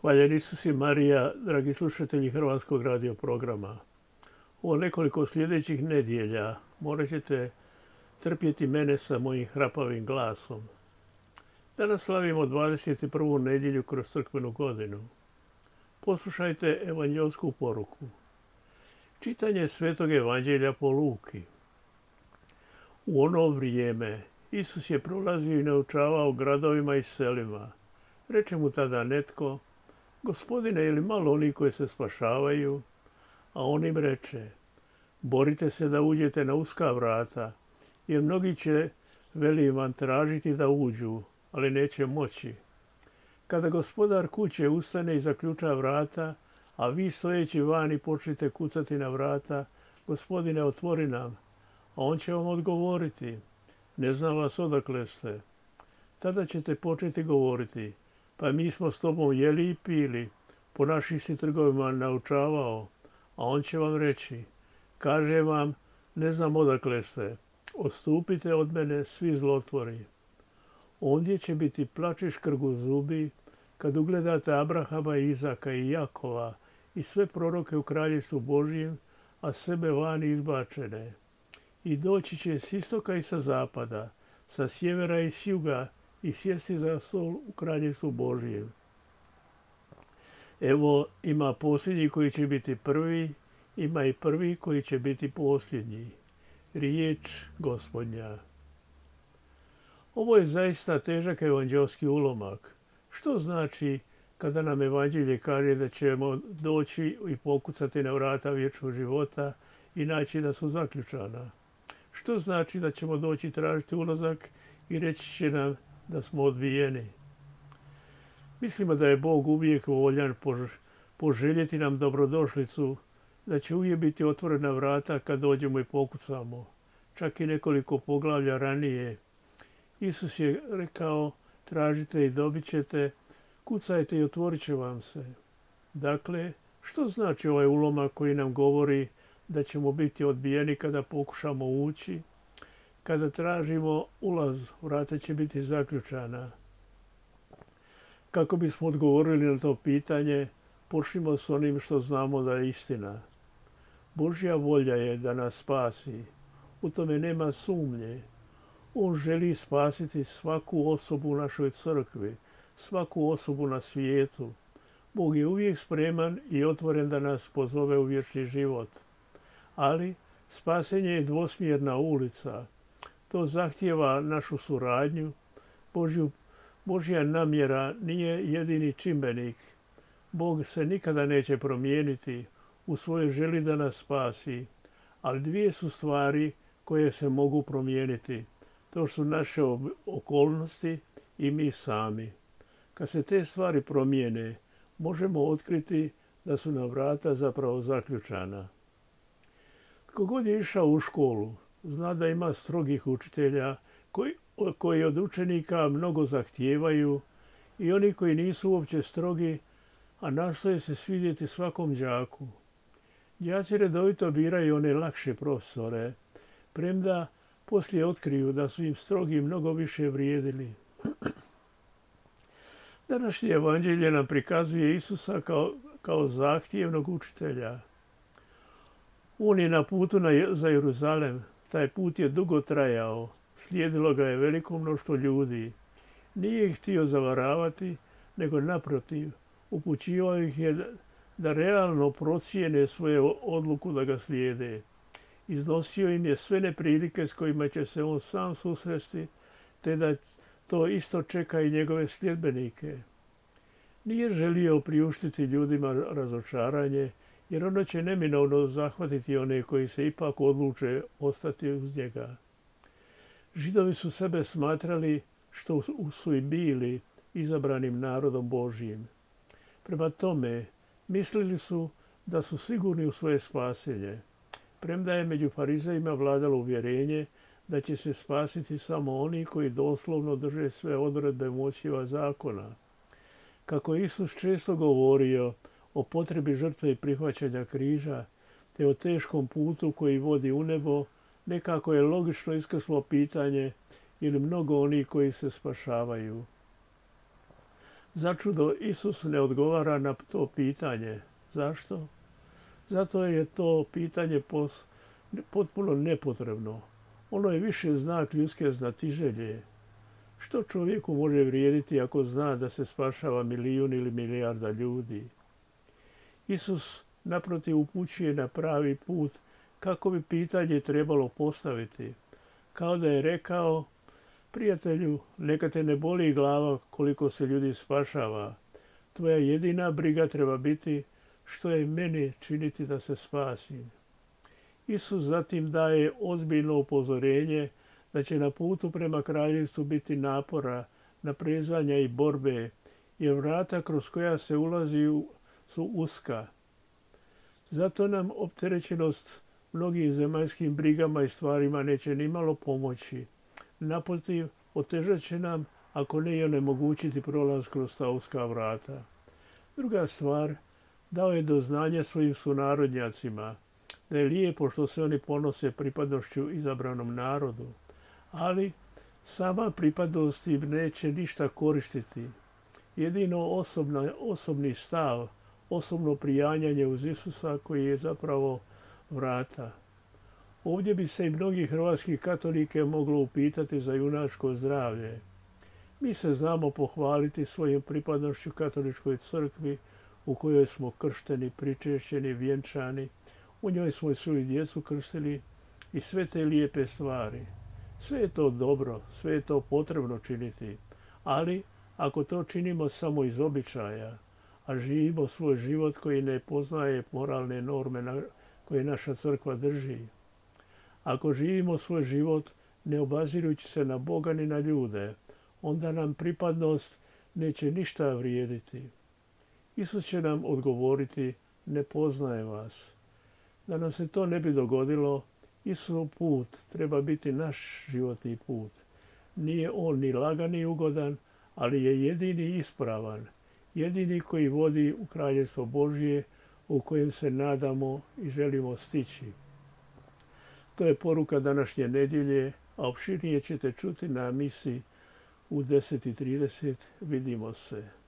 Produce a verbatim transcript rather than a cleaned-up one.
Hvaljen Isus i Marija, dragi slušatelji Hrvatskog radio programa. U nekoliko sljedećih nedjelja morat ćete trpjeti mene sa mojim hrapavim glasom. Danas slavimo dvadeset prvu nedjelju kroz crkvenu godinu. Poslušajte evanđelsku poruku. Čitanje Svetog evanđelja po Luki. U ono vrijeme Isus je prolazio i naučavao gradovima i selima. Reče mu tada netko: Gospodine, je li malo oni koji se spašavaju? A on im reče: borite se da uđete na uska vrata, jer mnogi će, veli vam, tražiti da uđu, ali neće moći. Kada gospodar kuće ustane i zaključa vrata, a vi stojeći vani počnete kucati na vrata: Gospodine, otvori nam. A on će vam odgovoriti: ne znam vas odakle ste. Tada ćete početi govoriti: pa mi smo s tobom jeli i pili, po našim si trgovima naučavao. A on će vam reći: kaže vam, ne znam odakle ste, odstupite od mene, svi zlotvori. Ondje će biti plač i škrgu zubi, kad ugledate Abrahama, Izaka i Jakova i sve proroke u kraljevstvu Božjem, a sebe vani izbačene. I doći će s istoka i sa zapada, sa sjevera i s juga, i sjesti za stol u kraljevstvu Božjem. Evo, ima posljednji koji će biti prvi, ima i prvi koji će biti posljednji. Riječ Gospodnja. Ovo je zaista težak evanđelski ulomak. Što znači kada nam evanđelje kaže da ćemo doći i pokucati na vrata vječnog života i naći da su zaključana? Što znači da ćemo doći tražiti ulazak i reći će nam da smo odbijeni? Mislimo da je Bog uvijek voljan poželjeti nam dobrodošlicu, da će uvijek biti otvorena vrata kad dođemo i pokucamo. Čak i nekoliko poglavlja ranije Isus je rekao: tražite i dobit ćete, kucajte i otvorit će vam se. Dakle, što znači ovaj ulomak koji nam govori da ćemo biti odbijeni kada pokušamo ući? Kada tražimo ulaz, vrata će biti zaključana. Kako bismo odgovorili na to pitanje, počnimo s onim što znamo da je istina. Božja volja je da nas spasi. U tome nema sumnje. On želi spasiti svaku osobu u našoj crkvi, svaku osobu na svijetu. Bog je uvijek spreman i otvoren da nas pozove u vječni život. Ali spasenje je dvosmjerna ulica. To zahtijeva našu suradnju. Božju, Božja namjera nije jedini čimbenik. Bog se nikada neće promijeniti u svojoj želi da nas spasi. Ali dvije su stvari koje se mogu promijeniti. To su naše okolnosti i mi sami. Kad se te stvari promijene, možemo otkriti da su nam vrata zapravo zaključana. Tko god je išao u školu, zna da ima strogih učitelja koji, koji od učenika mnogo zahtijevaju, i oni koji nisu uopće strogi, a nastoje se svidjeti svakom đaku. Đaci redovito biraju one lakše profesore, premda poslije otkriju da su im strogi mnogo više vrijedili. Današnje evanđelje nam prikazuje Isusa kao, kao zahtjevnog učitelja. On je na putu na, za Jeruzalem. Taj put je dugo trajao. Slijedilo ga je veliko mnoštvo ljudi. Nije ih htio zavaravati, nego naprotiv, upućivao ih je da, da realno procijene svoju odluku da ga slijede. Iznosio im je sve neprilike s kojima će se on sam susresti, te da to isto čeka i njegove sljedbenike. Nije želio priuštiti ljudima razočaranje, jer ono će neminovno zahvatiti one koji se ipak odluče ostati uz njega. Židovi su sebe smatrali, što su i bili, izabranim narodom Božjim. Prema tome, mislili su da su sigurni u svoje spasenje. Premda je među farizejima vladalo uvjerenje da će se spasiti samo oni koji doslovno drže sve odredbe Mojsijeva zakona. Kako je Isus često govorio o potrebi žrtve i prihvaćanja križa, te o teškom putu koji vodi u nebo, nekako je logično iskrslo pitanje: ili mnogo onih koji se spašavaju. Začudo Isus ne odgovara na to pitanje. Zašto? Zato je to pitanje pos, potpuno nepotrebno. Ono je više znak ljudske znatiželje. Što čovjeku može vrijediti ako zna da se spašava milijun ili milijarda ljudi? Isus naprotiv upućuje na pravi put kako bi pitanje trebalo postaviti. Kao da je rekao, prijatelju, neka te ne boli glava koliko se ljudi spašava. Tvoja jedina briga treba biti što je meni činiti da se spasim. Isus zatim daje ozbiljno upozorenje da će na putu prema kraljevstvu biti napora, naprezanja i borbe, jer vrata kroz koja se ulazi su uska. Zato nam opterećenost mnogim zemaljskim brigama i stvarima neće nimalo pomoći. Naprotiv, otežat će nam, ako ne i onemogućiti prolaz kroz ta uska vrata. Druga stvar, dao je do znanja svojim sunarodnjacima da je lijepo što se oni ponose pripadnošću izabranom narodu, ali sama pripadnost im neće ništa koristiti. Jedino osobna, osobni stav, osobno prijanjanje uz Isusa koji je zapravo vrata. Ovdje bi se i mnogi hrvatski katolike moglo upitati za junačko zdravlje. Mi se znamo pohvaliti svojim pripadnošću katoličkoj crkvi u kojoj smo kršteni, pričešćeni, vjenčani. U njoj smo svoju djecu krstili i sve te lijepe stvari. Sve je to dobro, sve je to potrebno činiti, ali ako to činimo samo iz običaja, a živimo svoj život koji ne poznaje moralne norme na koje naša crkva drži, ako živimo svoj život ne obazirujući se na Boga ni na ljude, onda nam pripadnost neće ništa vrijediti. Isus će nam odgovoriti, ne poznaje vas. Da nam se to ne bi dogodilo, Isusov put treba biti naš životni put. Nije on ni lagan ni ugodan, ali je jedini ispravan, jedini koji vodi u Kraljevstvo Božje u kojem se nadamo i želimo stići. To je poruka današnje nedjelje, a opširnije ćete čuti na misi u deset i trideset. Vidimo se.